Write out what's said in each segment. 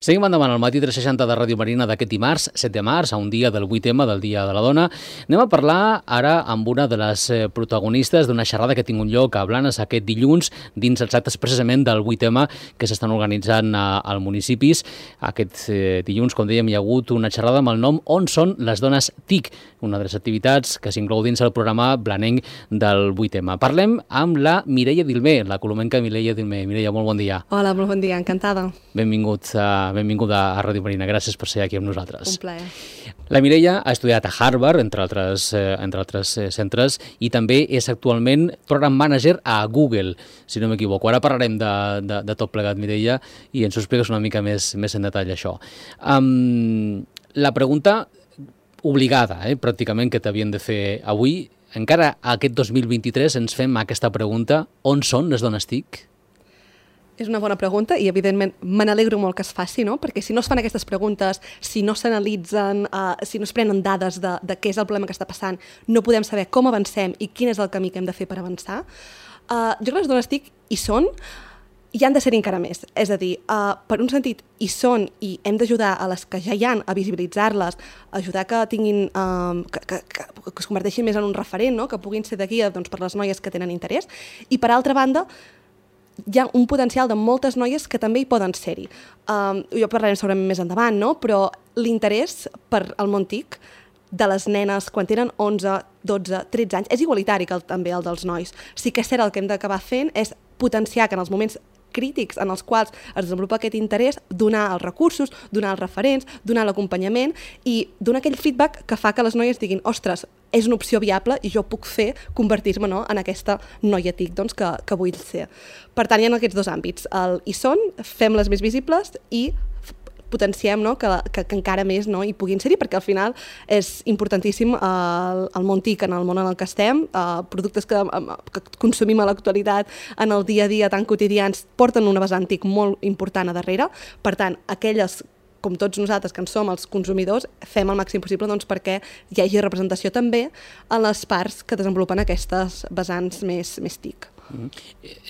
Seguim endavant al matí 360 de Ràdio Marina d'aquest dimarts, 7 de març, a un dia del 8M, del Dia de la Dona. Anem a parlar ara amb una de les protagonistes d'una xerrada que ha tingut lloc a Blanes aquest dilluns, dins els actes precisament del 8M que s'estan organitzant als municipis. Aquest dilluns, com dèiem, hi ha hagut una xerrada amb el nom On són les dones TIC, una de les activitats que s'inclou dins el programa blanenc del 8M. Parlem amb la Mireia Dilmé, la colomenca Mireia Dilmé. Mireia, molt bon dia. Hola, molt bon dia, encantada. Benvinguda a Ràdio Marina, gràcies per ser aquí amb nosaltres. Un plaer. La Mireia ha estudiat a Harvard, entre altres centres, i també és actualment Program Manager a Google, si no m'equivoco. Ara parlarem de tot plegat, Mireia, i ens ho expliques una mica més en detall, això. La pregunta obligada, pràcticament, que t'havien de fer avui, encara aquest 2023 ens fem aquesta pregunta: on són les dones TIC? És una bona pregunta i, evidentment, me n'alegro molt que es faci, no? Perquè si no es fan aquestes preguntes, si no s'analitzen, si no es prenen dades de què és el problema que està passant, no podem saber com avancem i quin és el camí que hem de fer per avançar. Jo crec que les dones TIC hi són i han de ser encara més. És a dir, per un sentit, hi són i hem d'ajudar a les que ja hi han a visibilitzar-les, ajudar que tinguin, que es converteixin més en un referent, no? Que puguin ser de guia, doncs, per les noies que tenen interès. I, per altra banda, hi ha un potencial de moltes noies que també hi poden ser-hi. Jo parlarem segurament més endavant, no? Però l'interès per al món TIC de les nenes quan tenen 11, 12, 13 anys és igualitari que també el dels nois. Sí que és cert, el que hem d'acabar fent és potenciar que en els moments crítics en els quals es desenvolupa aquest interès, donar els recursos, donar els referents, donar l'acompanyament i donar aquell feedback que fa que les noies diguin: ostres, és una opció viable i jo puc convertir-me, no, en aquesta noia TIC, doncs, que vull ser. Per tant, hi ha aquests dos àmbits. Hi són, fem-les més visibles i potenciem, no, que encara més, no, hi puguin ser-hi, perquè al final és importantíssim el món TIC en el món en el que estem. Productes que consumim a l'actualitat en el dia a dia tan quotidians porten una vessant TIC molt important a darrere. Per tant, aquelles, com tots nosaltres que en som els consumidors, fem el màxim possible, doncs, perquè hi hagi representació també en les parts que desenvolupen aquestes vessants més TIC.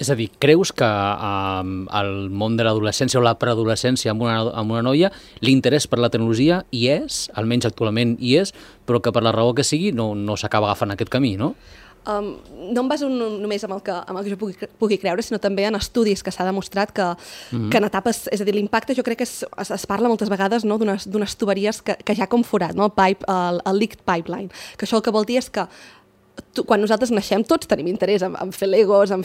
És a dir, creus que al món de l'adolescència o la preadolescència amb una noia l'interès per la tecnologia hi és, almenys actualment hi és, però que per la raó que sigui no s'acaba agafant aquest camí, no? No em baso només en el que jo pugui creure, sinó també en estudis que s'ha demostrat que en etapes, és a dir, l'impacte jo crec que es parla moltes vegades, no, d'unes tuberies que ja com forat, no? El leaked pipeline, que això el que vol dir és que quan nosaltres naixem tots tenim interès en fer legos, en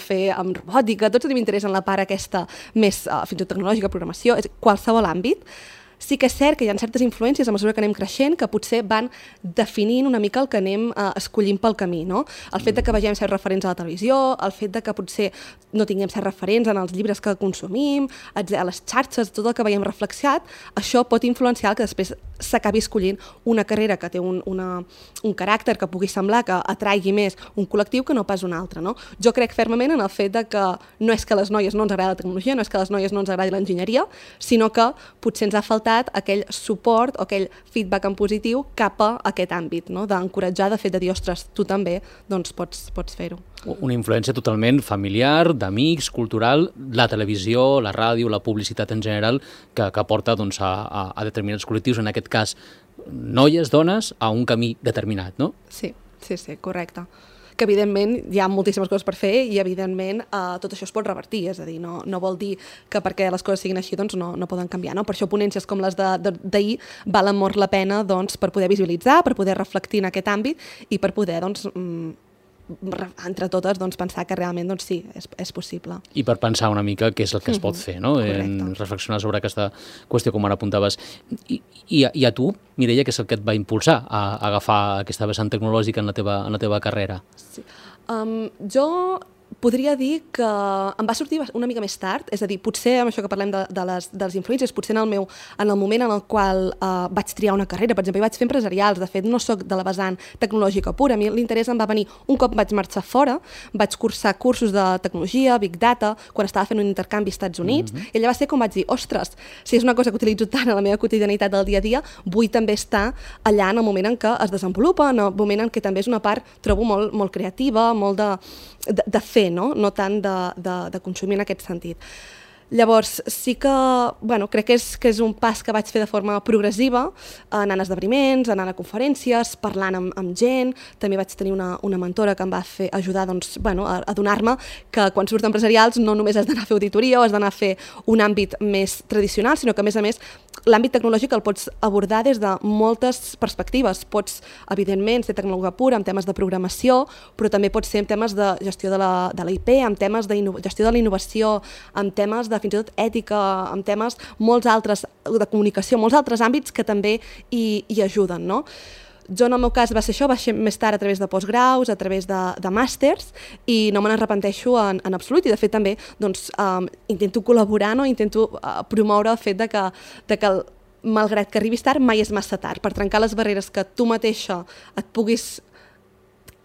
robòtica, tots tenim interès en la part aquesta més fins i tot tecnològica, programació, qualsevol àmbit. Sí que és cert que hi ha certes influències a mesura que anem creixent que potser van definint una mica el que anem escollint pel camí, no? El fet que vegem certs referents a la televisió, el fet que potser no tinguem certs referents en els llibres que consumim, a les xarxes, tot el que veiem reflexat, això pot influenciar que després s'acabi escollint una carrera que té un caràcter que pugui semblar que atraigui més un col·lectiu que no pas un altre, no? Jo crec fermament en el fet que no és que a les noies no ens agradi la tecnologia, no és que a les noies no ens agradi l'enginyeria, sinó que potser ens ha faltat aquell suport o aquell feedback en positiu cap a aquest àmbit, no? D'encoratjar, de fet, de dir: ostres, tu també doncs, pots fer-ho. Una influència totalment familiar, d'amics, cultural, la televisió, la ràdio, la publicitat en general, que porta, doncs, a determinats col·lectius, en aquest cas noies, dones, a un camí determinat, no? Sí, correcte. Que evidentment hi ha moltíssimes coses per fer i evidentment tot això es pot revertir, és a dir, no vol dir que perquè les coses siguin així doncs no poden canviar, no? Per això ponències com les d'ahir valen molt la pena, doncs, per poder visualitzar, per poder reflectir en aquest àmbit i per poder, doncs, entre totes, doncs, pensar que realment, doncs, sí, és possible. I per pensar una mica què és el que es pot fer, no? Reflexionar sobre aquesta qüestió, com ara apuntaves. I a tu, Mireia, què és el que et va impulsar a agafar aquesta vessant tecnològica en la teva carrera? Sí. Jo podria dir que em va sortir una mica més tard, és a dir, potser amb això que parlem de les influències, potser en el moment en el qual vaig triar una carrera, per exemple, vaig fer empresarials, de fet no soc de la vessant tecnològica pura, a mi l'interès em va venir un cop vaig marxar fora, vaig cursar cursos de tecnologia, Big Data, quan estava fent un intercanvi als Estats Units, i allà va ser com vaig dir: ostres, si és una cosa que utilitzo tant a la meva quotidianitat del dia a dia, vull també estar allà en el moment en què es desenvolupa, en el moment en què també és una part, trobo, molt creativa, molt de fer, no tant de consumir en aquest sentit. Llavors, sí que, bueno, crec que és un pas que vaig fer de forma progressiva, anant a esdeveniments, anant a conferències, parlant amb gent. També vaig tenir una mentora que em va ajudar doncs, bueno, a donar-me que quan surts d'empresarials no només has d'anar a fer auditoria o has d'anar a fer un àmbit més tradicional, sinó que, a més, l'àmbit tecnològic el pots abordar des de moltes perspectives. Pots, evidentment, ser tecnòloga pura en temes de programació, però també pots ser en temes de gestió de la IP, en temes de gestió de la innovació, en temes de fins i tot ètica, en temes molts altres de comunicació, molts altres àmbits que també hi ajuden, no? Jo, en el meu cas, va ser això, va ser més tard a través de postgraus, a través de màsters, i no me n'arrepenteixo en absolut. I, de fet, també doncs, intento col·laborar, no? Intento promoure el fet de que malgrat que arribis tard, mai és massa tard, per trencar les barreres que tu mateixa et puguis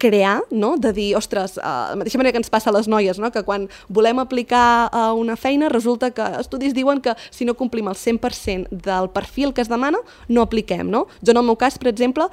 crear, no? De dir, ostres, de la mateixa manera que ens passa a les noies, no? Que quan volem aplicar a una feina resulta que estudis diuen que si no complim el 100% del perfil que es demana, no apliquem, no? Jo, en el meu cas, per exemple,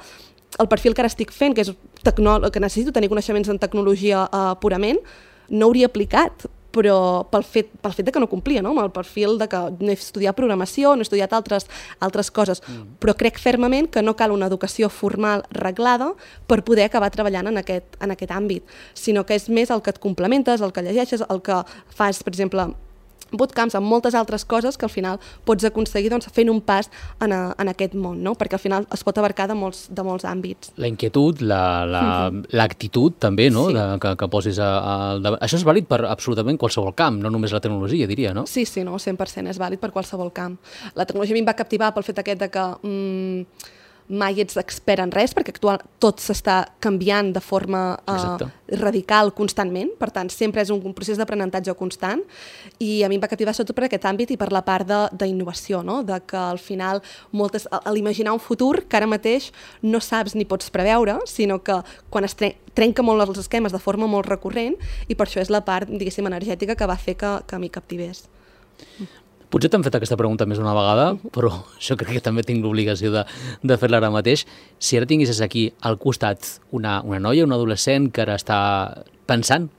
el perfil que ara estic fent, que és que necessito tenir coneixements en tecnologia purament, no hauria aplicat, però pel fet de que no complia, no? Amb el perfil de que no he estudiat programació, no he estudiat altres coses, però crec fermament que no cal una educació formal reglada per poder acabar treballant en aquest àmbit, sinó que és més el que et complementes, el que llegeixes, el que fas, per exemple, bootcamps, amb moltes altres coses que al final pots aconseguir doncs, fent un pas en aquest món, no? Perquè al final es pot abarcar de molts àmbits. La inquietud, l'actitud també, no? Sí. Que posis al davant. Això és vàlid per absolutament qualsevol camp, no només la tecnologia, diria, no? Sí, no, 100% és vàlid per qualsevol camp. La tecnologia a mi em va captivar pel fet aquest de que mai ets expert en res, perquè tot s'està canviant de forma radical constantment, per tant, sempre és un procés d'aprenentatge constant, i a mi em va captivar sobretot per aquest àmbit i per la part d'innovació, no? De que al final, a l'imaginar un futur que ara mateix no saps ni pots preveure, sinó que quan es trenca molt els esquemes de forma molt recurrent, i per això és la part, diguéssim, energètica que va fer que m'hi captivés. Potser t'han fet aquesta pregunta més d'una vegada, però jo crec que també tinc l'obligació de fer-la ara mateix. Si ara tinguessis aquí al costat una noia, un adolescent que ara està pensant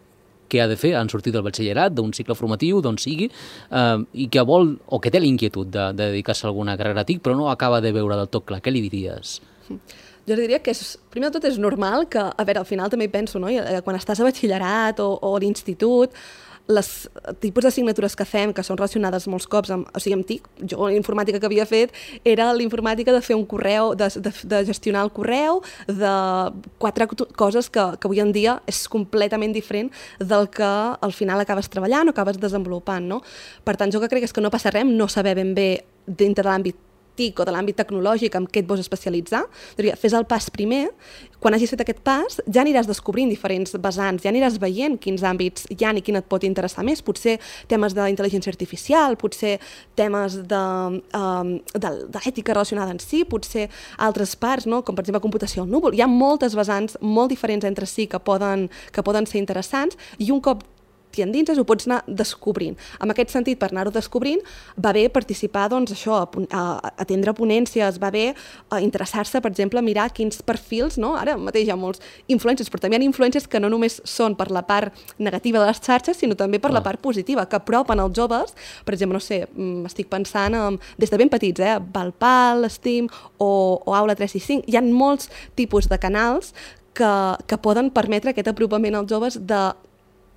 què ha de fer en sortir del batxillerat, d'un cicle formatiu, d'on sigui, i que vol, o que té la inquietud de dedicar-se a alguna carrera TIC, però no acaba de veure del tot clar, què li diries? Jo diria que, primer de tot, és normal que, a veure, al final també hi penso, no? Quan estàs a batxillerat o a l'institut, les tipus d'assignatures que fem, que són relacionades molts cops amb TIC, jo l'informàtica que havia fet era l'informàtica de fer un correu, de gestionar el correu, de 4 coses que avui en dia és completament diferent del que al final acabes treballant o acabes desenvolupant, no? Per tant, jo que crec que no passa res no saber ben bé dintre de l'àmbit TIC o de l'àmbit tecnològic amb què et vols especialitzar. Fes el pas primer, quan hagis fet aquest pas ja aniràs descobrint diferents vessants, ja aniràs veient quins àmbits hi ha i quin et pot interessar més, potser temes d'intel·ligència artificial, potser temes d'ètica relacionada en si, potser altres parts, no? Com per exemple computació al núvol. Hi ha moltes vessants molt diferents entre si que poden ser interessants, i un cop t'hi endinses ho pots anar descobrint. En aquest sentit, per anar-ho descobrint, va bé participar, doncs, això, a atendre ponències, va bé interessar-se, per exemple, a mirar quins perfils, no? Ara mateix hi ha molts influencers, però també hi ha influencers que no només són per la part negativa de les xarxes, sinó també per la part positiva, que apropen els joves. Per exemple, no sé, estic pensant des de ben petits, Valpal, Steam o Aula 365. Hi ha molts tipus de canals que poden permetre aquest apropament als joves de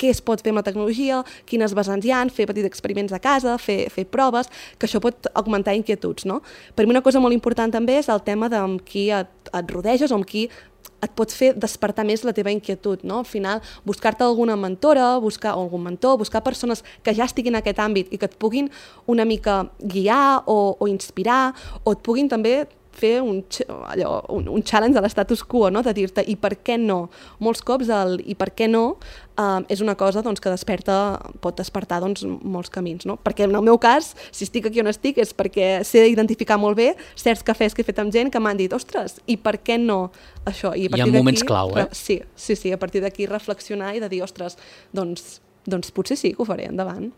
què es pot fer amb la tecnologia, quines vessants hi ha, fer petits experiments a casa, fer proves, que això pot augmentar inquietuds, no? Per mi una cosa molt important també és el tema amb qui et rodeges o amb qui et pot fer despertar més la teva inquietud, no? Al final, buscar-te alguna mentora, o algun mentor, buscar persones que ja estiguin en aquest àmbit i que et puguin una mica guiar o inspirar, o et puguin també fer un challenge de l'estatus quo, no? De dir-te, i per què no? Molts cops el i per què no és una cosa doncs, que pot despertar doncs, molts camins, no? Perquè en el meu cas, si estic aquí on estic, és perquè sé identificar molt bé certs cafès que he fet amb gent que m'han dit, ostres, i per què no això? Hi ha moments clau, eh? Sí, a partir d'aquí reflexionar i de dir, ostres, doncs potser sí que ho faré endavant.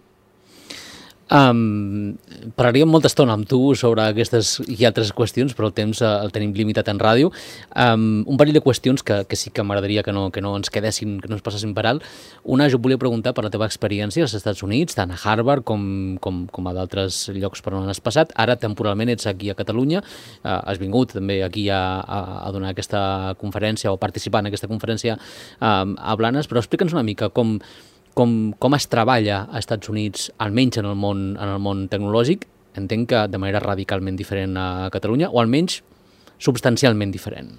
Parlaríem molta estona amb tu sobre aquestes i altres qüestions, però el temps el tenim limitat en ràdio. Un parell de qüestions que sí que m'agradaria que no ens quedessin, que no ens passessin per alt. Una, jo volia preguntar per la teva experiència als Estats Units, tant a Harvard com a d'altres llocs per on has passat. Ara, temporalment, ets aquí a Catalunya. Has vingut també aquí a donar aquesta conferència o participar en aquesta conferència a Blanes, però explica'ns una mica com es treballa als Estats Units, almenys en el món tecnològic. Entenc que de manera radicalment diferent a Catalunya, o almenys substancialment diferent.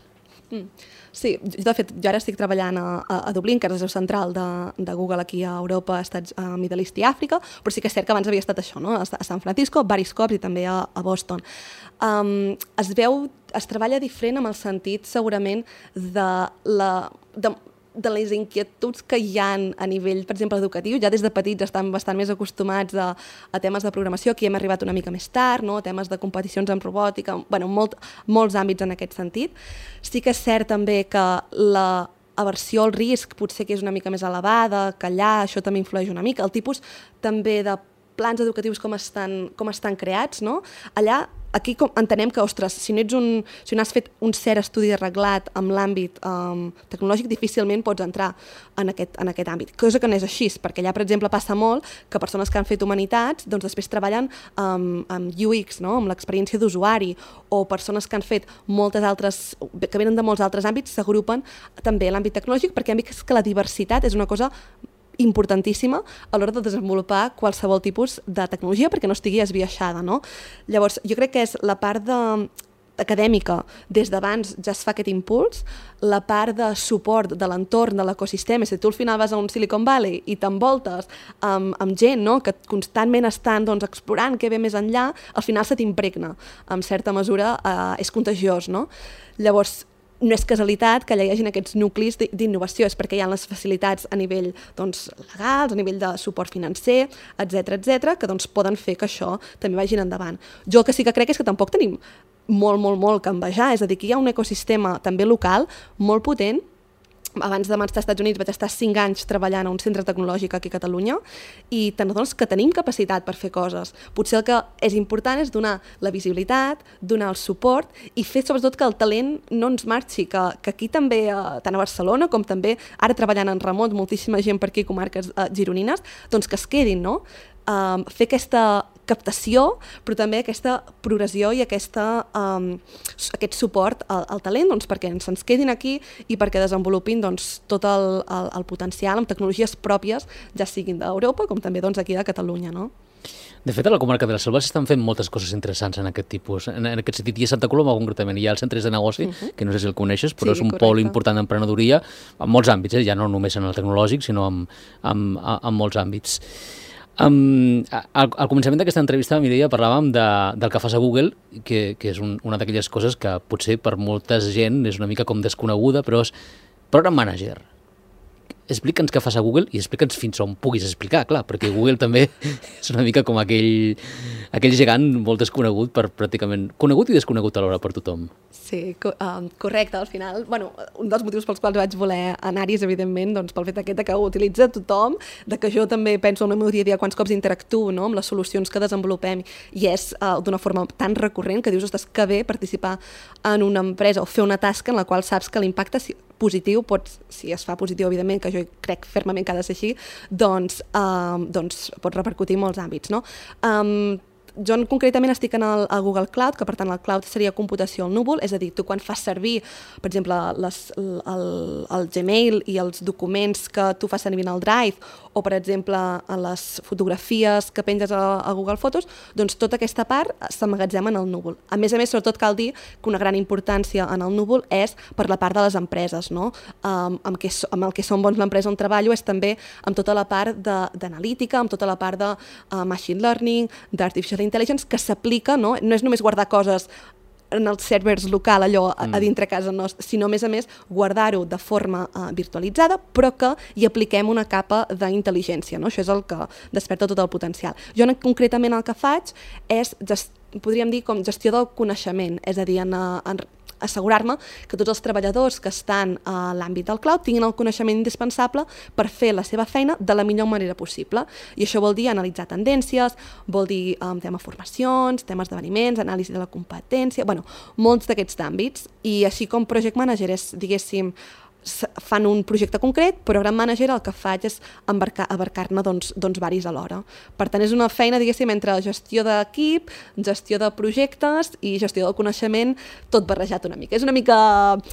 Sí, de fet, jo ara estic treballant a Dublín, que és la seu central de Google aquí a Europa, a Middle East i Àfrica, però sí que és cert que abans havia estat això, no? A San Francisco, diversos cops, i també a Boston. Es treballa diferent amb el sentit, segurament, de les inquietuds que hi ha a nivell, per exemple, educatiu. Ja des de petits estan bastant més acostumats a temes de programació. Aquí hem arribat una mica més tard, no? Temes de competicions en robòtica, bueno, molts àmbits en aquest sentit. Sí que és cert també que la aversió al risc potser que és una mica més elevada, que allà això també influeix una mica. El tipus també de plans educatius com estan creats, no? Allà, aquí entenem que, ostres, si no has fet un cert estudi arreglat amb l'àmbit tecnològic, difícilment pots entrar en aquest àmbit. Cosa que no és així, perquè allà, per exemple, passa molt que persones que han fet humanitats doncs després treballen amb UX, no? Amb l'experiència d'usuari, o persones que han fet que venen de molts altres àmbits, s'agrupen també a l'àmbit tecnològic, perquè hem vist que la diversitat és una cosa importantíssima a l'hora de desenvolupar qualsevol tipus de tecnologia perquè no estigui esbiaixada, no? Llavors, jo crec que és la part acadèmica, des d'abans ja es fa aquest impuls, la part de suport de l'entorn, de l'ecosistema. Si tu al final vas a un Silicon Valley i t'envoltes amb gent, no? Que constantment estan explorant què ve més enllà, al final se t'impregna. En certa mesura és contagiós, no? Llavors, no és casualitat que allà hi hagi aquests nuclis d'innovació, és perquè hi ha les facilitats a nivell legals, a nivell de suport financer, etc que poden fer que això també vagin endavant. Jo el que sí que crec és que tampoc tenim molt que envejar, és a dir, que hi ha un ecosistema també local molt potent. Abans de marxar als Estats Units vaig estar 5 anys treballant a un centre tecnològic aquí a Catalunya i t'adones que tenim capacitat per fer coses. Potser el que és important és donar la visibilitat, donar el suport i fer sobretot que el talent no ens marxi, que aquí també, tant a Barcelona com també ara treballant en remot, moltíssima gent per aquí, comarques gironines, doncs que es quedin, no? Fer aquesta captació, però també aquesta progressió i aquest suport al talent perquè se'ns quedin aquí i perquè desenvolupin tot el potencial amb tecnologies pròpies, ja siguin d'Europa com també aquí de Catalunya, no? De fet, a la comarca de la Selva s'estan fent moltes coses interessants en aquest tipus. En aquest sentit, i a Santa Coloma concretament hi ha els centres de negoci, que no sé si el coneixes, però és un pol important d'emprenedoria en molts àmbits, ja no només en el tecnològic, sinó en molts àmbits. Al començament d'aquesta entrevista, Mireia, parlàvem del que fas a Google, que és una d'aquelles coses que potser per molta gent és una mica com desconeguda, però és Program Manager. Explica'ns què fas a Google i explica'ns fins on puguis explicar, clar, perquè Google també és una mica com aquell gegant molt desconegut conegut i desconegut alhora per tothom. Sí, correcte. Al final, un dels motius pels quals vaig voler anar-hi és, evidentment, pel fet aquest que ho utilitza tothom, que jo també penso en el meu dia a dia quants cops interactuo amb les solucions que desenvolupem i és d'una forma tan recurrent que dius, ostres, que bé participar en una empresa o fer una tasca en la qual saps que l'impacte positiu, si es fa positiu, evidentment, que jo crec fermament que ha de ser així, doncs pot repercutir en molts àmbits, no? Jo concretament estic a Google Cloud, que per tant el cloud seria computació al núvol, és a dir, tu quan fas servir, per exemple, el Gmail i els documents que tu fas servir en el Drive o, per exemple, les fotografies que penges a Google Fotos, doncs tota aquesta part s'emmagatzema en el núvol. A més, sobretot cal dir que una gran importància en el núvol és per la part de les empreses, no? Amb el que són bons l'empresa on treballo és també amb tota la part d'analítica, amb tota la part de machine learning, d'artificial intelligence, que s'aplica, no és només guardar coses en els servers local, allò a dintre casa nostra, sinó, a més, guardar-ho de forma virtualitzada, però que hi apliquem una capa d'intel·ligència, no? Això és el que desperta tot el potencial. Jo concretament el que faig és, podríem dir, com gestió del coneixement, és a dir, assegurar-me que tots els treballadors que estan a l'àmbit del cloud tinguin el coneixement indispensable per fer la seva feina de la millor manera possible. I això vol dir analitzar tendències, vol dir tema formacions, temes d'esdeveniments, anàlisi de la competència, bueno, molts d'aquests àmbits. I així com Project Manager és, diguéssim, fan un projecte concret, però Program Manager el que faig és abarcar-ne varis alhora. Per tant, és una feina, diguéssim, entre gestió d'equip, gestió de projectes i gestió del coneixement, tot barrejat una mica. És una mica...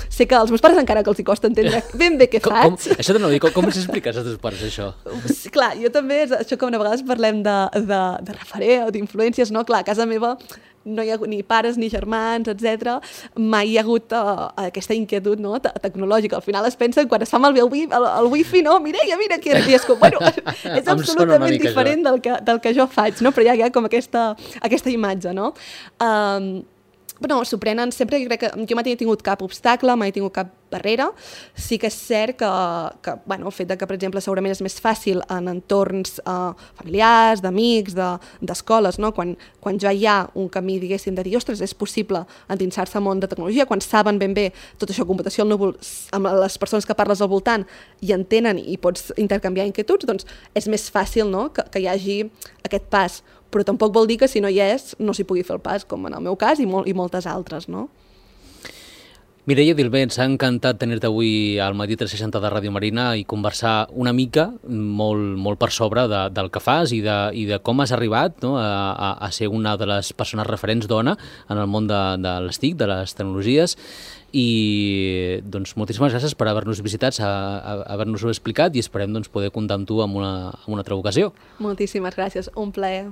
Sé que als meus pares encara que els hi costa entendre ben bé què faig. Això t'anava a dir, com els expliques als teus pares, això? Sí, clar, jo també, això que a vegades parlem de referent o d'influències, no? Clar, a casa meva no hi ha hagut ni pares ni germans, etc. Mai hi ha hagut aquesta inquietud, no? Tecnològica. Al final es pensen, quan es fa malbé el wifi, no? Mireia, mira que era. I és com, bueno, és absolutament diferent del que jo faig, no? Però hi ha com aquesta imatge, no? Però s'ho prenen sempre, jo crec que jo mai he tingut cap obstacle, mai he tingut cap barrera. Sí que és cert que bueno, el fet de que, per exemple, segurament és més fàcil en entorns familiars, d'amics, d'escoles, no? Quan ja hi ha un camí, diguéssim, de dir, ostres, és possible endinsar-se al món de tecnologia, quan saben ben bé tot això, computació al núvol, amb les persones que parles al voltant i entenen i pots intercanviar inquietuds, doncs és més fàcil, no? que hi hagi aquest pas. Però tampoc vol dir que si no hi és, no s'hi pugui fer el pas, com en el meu cas i moltes altres, no? Mireia Dilbé, ens ha encantat tenir-te avui al Matí 360 de Ràdio Marina i conversar una mica, molt per sobre del que fas i de com has arribat, no? a ser una de les persones referents dona en el món de les TIC, de les tecnologies. I doncs, moltíssimes gràcies per haver-nos visitat, haver-nos-ho explicat i esperem poder comptar amb tu en una altra ocasió. Moltíssimes gràcies, un plaer.